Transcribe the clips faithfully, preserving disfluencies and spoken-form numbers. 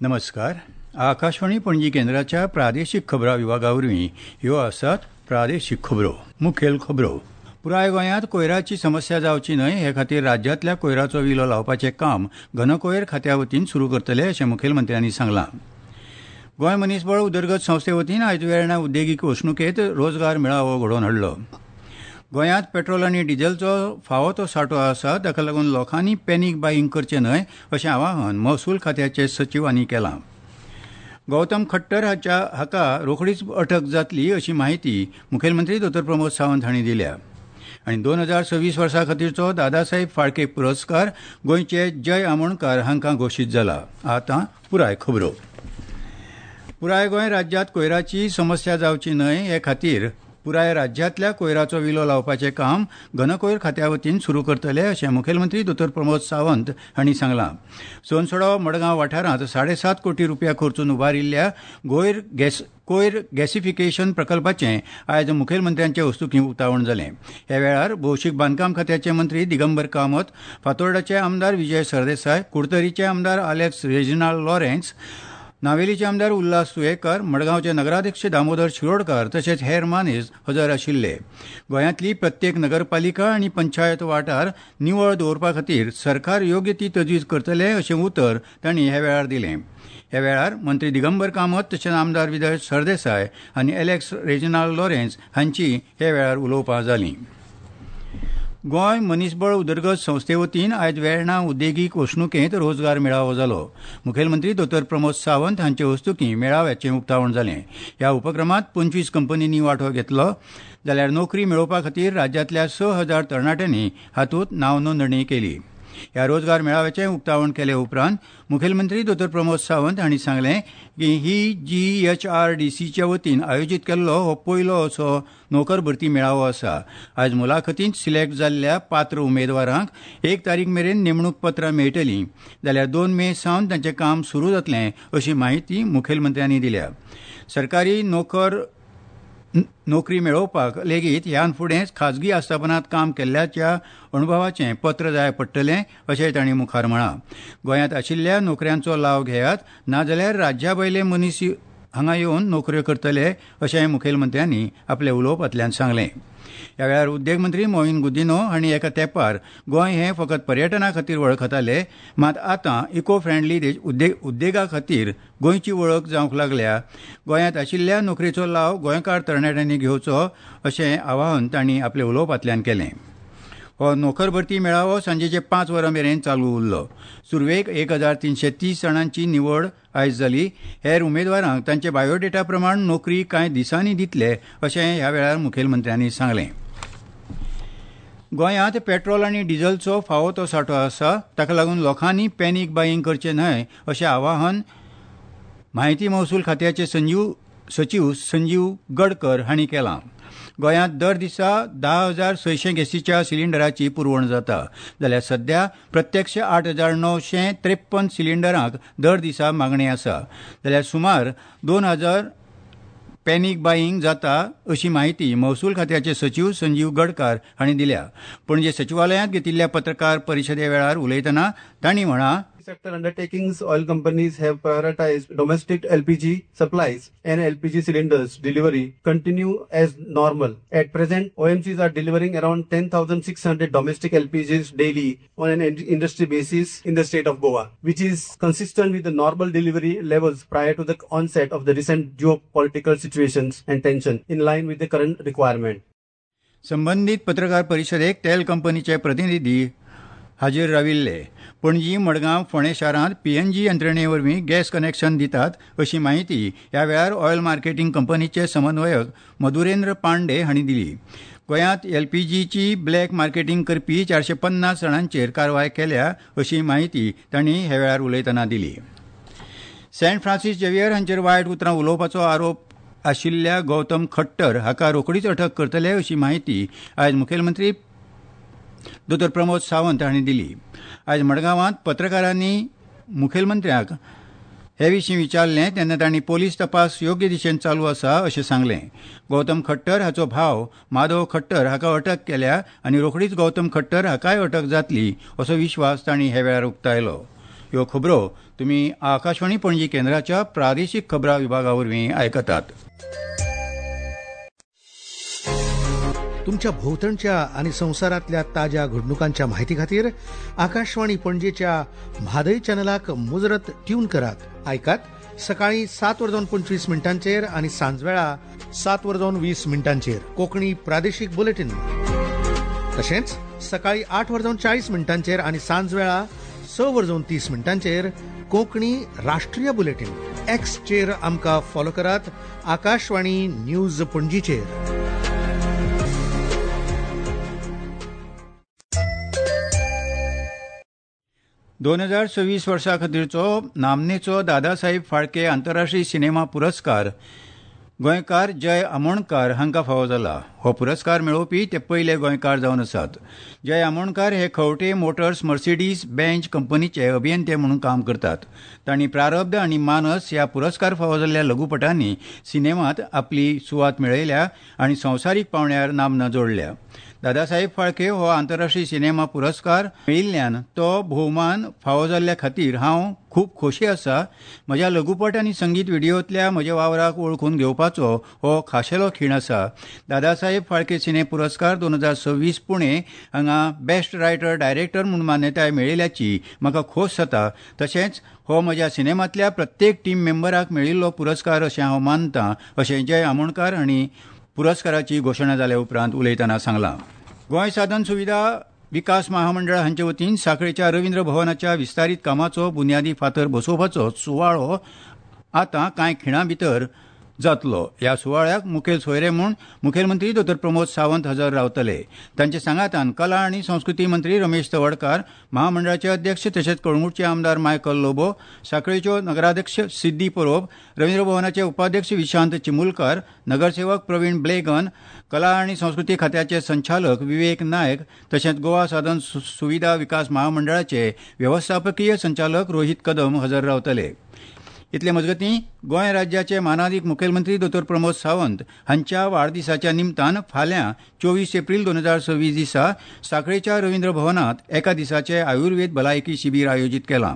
नमस्कार. आकाशवाणी पणजी केंद्राच्या प्रादेशीक खबरां विभागा वरवीं ह्यो आसात प्रादेशीक खबरो. मुखेल खबरो. पुराय गोंयांत कोयराची समस्या जावची न्हय हे खातीर राज्यांतल्या कोयराचो विलो लावपाचें काम घनकोयर खात्या वतीन सुरू करतले अशें मुखेलमंत्र्यांनी सांगलां. गोंय मनीसबळ उदरगत संस्थे वतीन आयज वेर्णा उद्देगीक वसणुकेंत रोजगार मेळावो घडोवन हाडलो. गोंयांत पेट्रोल आनी डिझेलचो फावो तो सांठो आसा, ताका लागून लोकांनी पॅनीक बायींग करचें न्हय अशें आवाहन महसूल खात्याचे सचिवांनी केलां. गौतम खट्टर हाच्या हाका रोखडीच अटक जातली अशी माहिती मुखेलमंत्री दोतोर प्रमोद सावंत हांणी दिल्या. आनी दोन हजार सव्वीस वर्सा खातीरचो दादासाहेब फाळके पुरस्कार गोंयचे जय आमोणकार हांकां घोशीत जाला. आतां पुराय खबरो. पुराय गोंय राज्यांत कोयराची समस्या जावची न्हय हे खातीर पुराय राज्यांतल्या कोयराचो विलो लावपाचें काम घनकोयर खात्या वतीन सुरू करतले अशें मुखेलमंत्री दोतोर प्रमोद सावंत हांणी सांगलां. सोनसडो मडगांव वाठारांत साडेसात कोटी रुपया खर्चून उबारिल्ल्या गोयर गॅस कोयर गॅसिफिकेशन प्रकल्पाचें आयज मुखेलमंत्र्यांचे हस्तुकीं उक्तावण जालें. ह्या वेळार भौशीक बांदकाम खात्याचे मंत्री दिगंबर कामत, फातोर्डाचे आमदार विजय सरदेसाय, कुडतरीचे आमदार आलेक्स रेजिनाल्ड लॉरेन्स, नावेलीचे आमदार उल्हास तुयेकर, मडगांवचे नगराध्यक्ष दामोदर शिरोडकर तशेंच हेर मानेस्त हजर आशिल्ले. गोंयांतली प्रत्येक नगरपालिका आनी पंचायत वाठार निवळ दवरपा खातीर सरकार योग्य ती तजवीज करतले अशें उतर तांणी ह्या वेळार दिलें. ह्या वेळार मंत्री दिगंबर कामत तशेंच आमदार विजय सरदेसाय आनी एलेक्स रेजिनाल्ड लॉरेन्स हांची ह्या वेळार उलोवपां जालीं. गोंय मनीसबळ उदरगत संस्थे वतीन आयज वेर्णा उद्देगीक वसणुकेंत रोजगार मेळावो जालो. मुखेलमंत्री दोतोर प्रमोद सावंत हांचे हस्तुकीं मेळाव्याचें उक्तावण जालें. ह्या उपक्रमांत पंचवीस कंपनींनी वांटो घेतलो जाल्यार नोकरी मेळोवपा खातीर राज्यांतल्या स हजार तरणाट्यांनी हातूंत नांव नोंदणी केली. ह्या रोजगार मेळाव्याचें उक्तावण केले उपरांत मुखेलमंत्री दोतोर प्रमोद सावंत हांणी सांगलें की ही जी एच आर डी सीच्या वतीन आयोजीत केल्लो हो पयलो असो नोकर भरती मेळावो आसा. आयज मुलाखतींत सिलेक्ट जाल्ल्या पात्र उमेदवारांक एक तारीख मेरेन नेमणूक पत्रां मेळटलीं जाल्यार दोन मे सावन तांचें काम सुरू जातलें अशी माहिती मुखेलमंत्र्यांनी दिल्या. सरकारी नोकर नोकरी मेळोवपाक लेगीत ह्यान फुडें खाजगी आस्थापनांत काम केल्ल्याच्या अणभवाचें पत्र जाय पडटलें अशें तांणी मुखार म्हळां. गोंयांत आशिल्ल्या नोकऱ्यांचो लाव घेयात, नाजाल्यार राज्या भायले मनीस हांगा येवन नोकऱ्यो करतले अशें मुखेलमंत्र्यांनी आपल्या उलोवपांतल्यान सांगलें. ह्या वेळार उद्देग मंत्री मोहीन गुदिन्हो हांणी एका तेंपार गोंय हें फकत पर्यटना खातीर वळखताले, मात आतां इको फ्रेंडली उद्देगा खातीर गोंयची वळख जावंक लागल्या. गोंयांत आशिल्ल्या नोकरेचो लाव गोंयकार तरणाट्यांनी घेवचो अशें आवाहन तांणी आपल्या उलोवपांतल्यान केलें. हो नोकर भरती मेळावो सांजेचे पांच वरां मेरेन चालू उरलो. सुरवेक एक हजार तिनशे तीस जाणांची निवड आयज जाली. हेर उमेदवारांक तांचे बायोडेटा प्रमाण नोकरी कांय दिसांनी दितले अशें ह्या वेळार मुखेलमंत्र्यांनी सांगलें. गोंयांत पेट्रोल आनी डिझेलचो फावो तो सांठो आसा, ताका लागून लोकांनी पॅनीक बायींग करचें न्हय अशें आवाहन म्हायती महसूल खात्याचे संजीव सचीव संजीव गडकर हांणी केलां. गोंयांत दर दिसा धा हजार सयशें गॅसीच्या सिलिंडराची पुरवण जाता जाल्यार सध्या प्रत्यक्ष आठ हजार णवशे त्रेप्पन सिलिंडरांक दर दिसा मागणी आसा जाल्यार सुमार दोन हजार पॅनीक बायींग जाता अशी माहिती महसूल खात्याचे सचीव संजीव गडकर हांणी दिल्या. पणजे सचिवालयांत घेतिल्ल्या पत्रकार परिशदे वेळार उलयतना तांणी म्हळां, Sector undertakings, oil companies have prioritized domestic L P G supplies and L P G cylinders delivery continue as normal. At present, O M Cs are delivering around ten thousand six hundred domestic L P Gs daily on an industry basis in the state of Goa, which is consistent with the normal delivery levels prior to the onset of the recent geopolitical situations and tension in line with the current requirement. संबंधित पत्रकार परिशदेक तेल कंपनीचे प्रतिनिधी हाजीर राविल्ले. पणजी, मडगांव, फोंडें शारांत PNG यंत्रणे वरवीं गॅस कनेक्शन दितात अशी माहिती ह्या वेळार ऑयल मार्केटींग कंपनीचे समन्वयक मधुरेंद्र पांडे हांणी दिली. गोंयांत एलपीजीची ब्लॅक मार्केटींग करपी चारशे पन्नास जाणांचेर कारवाय केल्या अशी माहिती तांणी ह्या वेळार उलयतना दिली. सेंट फ्रांसीस झेवियर हांचेर वायट उतरां उलोवपाचो आरोप आशिल्ल्या गौतम खट्टर हाका रोखडीच अटक करतले अशी माहिती आयज मुखेलमंत्री दोतोर प्रमोद सावंत हांणी दिली. आयज मडगांवांत पत्रकारांनी मुखेलमंत्र्याक हे विशीं विचारलें तेन्ना तांणी पोलीस तपास योग्य दिशेन चालू आसा अशें सांगलें. गौतम खट्टर हाचो भाव माधव खट्टर हाका अटक केल्या आनी रोखडीच गौतम खट्टर हाकाय अटक जातली असो विश्वास तांणी ह्या वेळार उक्तायलो. ह्यो खबरो तुमी आकाशवाणी पणजी केंद्राच्या प्रादेशीक खबरां विभागा वरवीं आयकतात. तुमच्या भोवतणच्या आनी संवसारांतल्या ताज्या घडणुकांच्या माहिती खातीर आकाशवाणी पणजेच्या म्हादय चॅनलाक मुजरत ट्यून करात. आयकात सकाळी सात वरां पंचवीस मिनटांचेर आनी सांजवेळा सात वरां वीस मिनटांचेर कोंकणी प्रादेशीक बुलेटीन. तशेंच सकाळी आठ वरां चाळीस मिनटांचेर आनी सांजवेळा स वरां तीस मिनटांचेर कोंकणी राष्ट्रीय बुलेटीन. एक्सचेर आमकां फॉलो करात आकाशवाणी न्यूज पणजीचेर. दोन हजार सव्वीस वर्सा खातीरचो नामनेचो दादासाहेब फाळके आंतरराष्ट्रीय सिनेमा पुरस्कार गोंयकार जय आमोणकार हांकां फावो जाला. हो पुरस्कार मेळोवपी ते पयले गोंयकार जावन आसात. जय आमोणकार हे खवटे मोटर्स मर्सिडीज बेंच कंपनीचे अभियंते म्हणून काम करतात. तांणी प्रारब्ध आनी मानस ह्या पुरस्कार फावो जाल्ल्या लघुपटांनी सिनेमांत आपली सुवात मेळयल्या आनी संवसारीक पांवड्यार नामना जोडल्या. दादासाहेब फाळके हो आंतरराष्ट्रीय सिनेमा पुरस्कार मेळिल्ल्यान तो भोवमान फावो जाल्ल्या खातीर हांव खूब खोशी आसा. म्हज्या लघुपट आनी संगीत व्हिडियोंतल्या म्हज्या वावराक वळखून घेवपाचो हो खाशेलो खीण आसा. दादासाहेब फाळके सिने पुरस्कार दोन हजार सव्वीस पुणे हांगा बेस्ट रायटर डायरेक्टर म्हूण मान्यताय मेळिल्ल्याची म्हाका खोस जाता. तशेंच हो म्हज्या सिनेमांतल्या प्रत्येक टीम मेंबराक मेळिल्लो पुरस्कार अशें हांव मानतां अशें जय आमोणकार हांणी पुरस्काराची घोशणा जाल्या उपरांत उलयतना सांगलां. गोंय साधन सुविधा विकास महामंडळ हांचे वतीन सांखळेच्या रवींद्र भवनाच्या विस्तारीत कामाचो बुन्यादी फातर बसोवपाचो सुवाळो आतां कांय खिणां भितर जातलो. ह्या सुवाळ्याक मुखेल सोयरे म्हूण मुखेलमंत्री दोतोर प्रमोद सावंत हजर रावतले. तांच्या सांगातान कला आनी संस्कृती मंत्री रमेश तवडकार, महामंडळाचे अध्यक्ष तशेंच कळंगूटचे आमदार मायकल लोबो, सांखळेच्यो नगराध्यक्ष सिद्धी परोब, रवींद्र भवनाचे उपाध्यक्ष विशांत चिमुलकार, नगरसेवक प्रवीण ब्लेगन, कला आनी संस्कृती खात्याचे संचालक विवेक नायक तशेंच गोवा साधन सुविधा विकास महामंडळाचे वेवस्थापकीय संचालक रोहित कदम हजर रावतले. इतले मजगतीं गोंय राज्याचे मानादीक मुखेलमंत्री दोतोर प्रमोद सावंत हांच्या वाडदिसाच्या निमतान फाल्यां चोवीस एप्रील दोन हजार सव्वीस दिसा सांखळेच्या रवींद्र भवनांत एका दिसाचे आयुर्वेद भलायकी शिबीर आयोजीत केलां.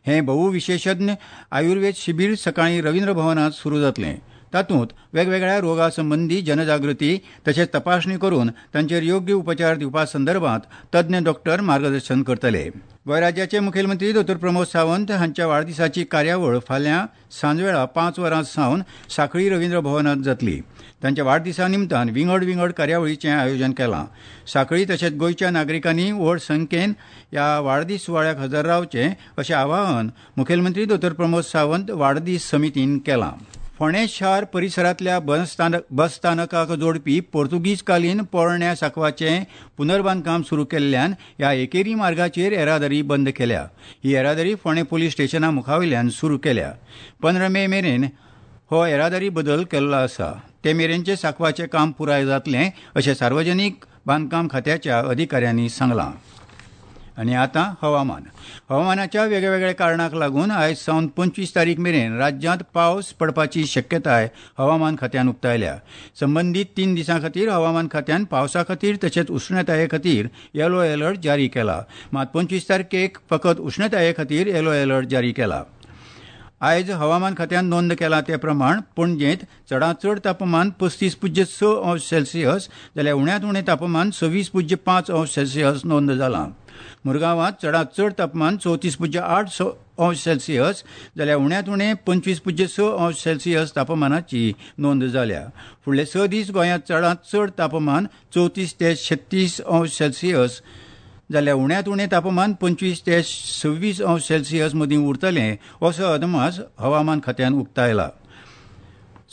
हें बहुविशेशज्ञ आयुर्वेद शिबीर सकाळीं रवींद्र भवनांत सुरू जातलें. तातूंत वेगवेगळ्या रोगा संबंदी जनजागृती तशेंच तपासणी करून तांचेर योग्य उपचार दिवपा संदर्भात तज्ञ डॉक्टर मार्गदर्शन करतले. गोंय राज्याचे मुखेलमंत्री दोतोर प्रमोद सावंत हांच्या वाडदिसाची कार्यावळ फाल्यां सांजवेळा पांच वरां सावन सांखळी रवींद्र भवनांत जातली. तांच्या वाडदिसा निमतान विंगड विंगड कार्यावळीचें आयोजन केलां. सांखळी तशेंच गोंयच्या नागरिकांनी व्हड संख्येन ह्या वाडदीस सुवाळ्याक हजर रावचें अशें आवाहन मुखेलमंत्री दोतोर प्रमोद सावंत वाडदीस समितीन केलां. फोंडें शार परिसरांतल्या बस स्थानकाक जोडपी पोर्तुगीजकालीन पोरण्या सांकवाचें पुनर्बांदकाम सुरू केल्ल्यान ह्या एकेरी मार्गाचेर येरादारी बंद केल्या. ही येरादारी फोंडें पुलीस स्टेशना मुखावयल्यान सुरू केल्या. पंदरा मे मेरेन हो येरादारी बदल केल्लो आसा. ते मेरेनचें सांकवाचें काम पुराय जातलें अशें सार्वजनीक बांदकाम खात्याच्या अधिकाऱ्यांनी सांगलां. आनी आतां हवामान. हवामानाच्या वेगवेगळ्या कारणांक लागून आयज सावन पंचवीस तारीख मेरेन राज्यांत पावस पडपाची शक्यताय हवामान खात्यान उक्तायल्या. संबंदीत तीन दिसां खातीर हवामान खात्यान पावसा खातीर तशेंच उश्णताये खातीर येलो अलर्ट जारी केला. मात पंचवीस तारखेक फकत उश्णताये खातीर येलो अलर्ट जारी केला. आयज हवामान खात्यान नोंद केला ते प्रमाण पणजेंत चडांत चड तापमान पस्तीस पुज्य स अंश सेल्सियस जाल्यार उण्यांत उणें तापमान सव्वीस पुज्य पांच अंश सेल्सियस नोंद जालां. मुरगांवांत चडांत चड तापमान चवतीस पुज्य आठ अंश सेल्सियस जाल्यार उण्यांत उणें पंचवीस पुज्य स अंश सेल्सियस तापमानाची नोंद जाल्या. फुडले स दीस गोंयांत चडांत चड तापमान चवतीस ते छत्तीस अंश सेल्सियस जाल्यार उण्यांत उणें तापमान पंचवीस ते सव्वीस अंश सेल्सियस मदीं उरतलें असो अदमास हवामान खात्यान उक्तायला.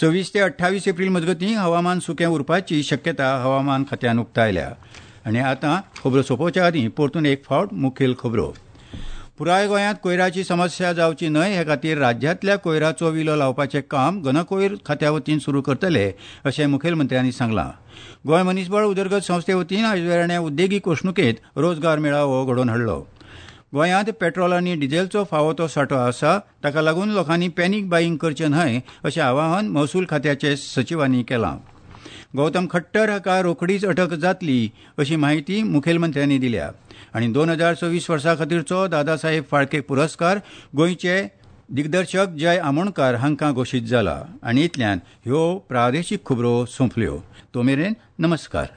सव्वीस ते अठ्ठावीस एप्रील मजगतीं हवामान सुकें उरपाची शक्यता हवामान खात्यान उक्तायल्या. आनी आतां खबरो सोंपोवच्या आदीं परतून एक फावट मुखेल खबरो. पुराय गोंयांत कोयराची समस्या जावची न्हय हे खातीर राज्यांतल्या कोयराचो विलो लावपाचें काम घनकोयर खात्या वतीन सुरू करतले अशें मुखेलमंत्र्यांनी सांगलां. गोंय मनीसबळ उदरगत संस्थे वतीन आयज वेर्ण्या उद्देगीक वसणुकेंत रोजगार मेळावो घडोवन हाडलो. गोंयांत पेट्रोल आनी डिझेलचो फावो तो सांठो आसा, ताका लागून लोकांनी पॅनीक बायींग करचें न्हय अशें आवाहन महसूल खात्याचे सचिवांनी केलां. गौतम खट्टर हाका रोखडीच अटक जातली अशी म्हायती मुखेलमंत्र्यांनी दिल्या. आनी दोन हजार सव्वीस वर्सा खातीरचो दादासाहेब फाळके पुरस्कार गोंयचे दिग्दर्शक जय आमोणकार हांकां घोशीत जाला. आनी इतल्यान ह्यो प्रादेशीक खबरो सोंपल्यो. तो मेरेन नमस्कार.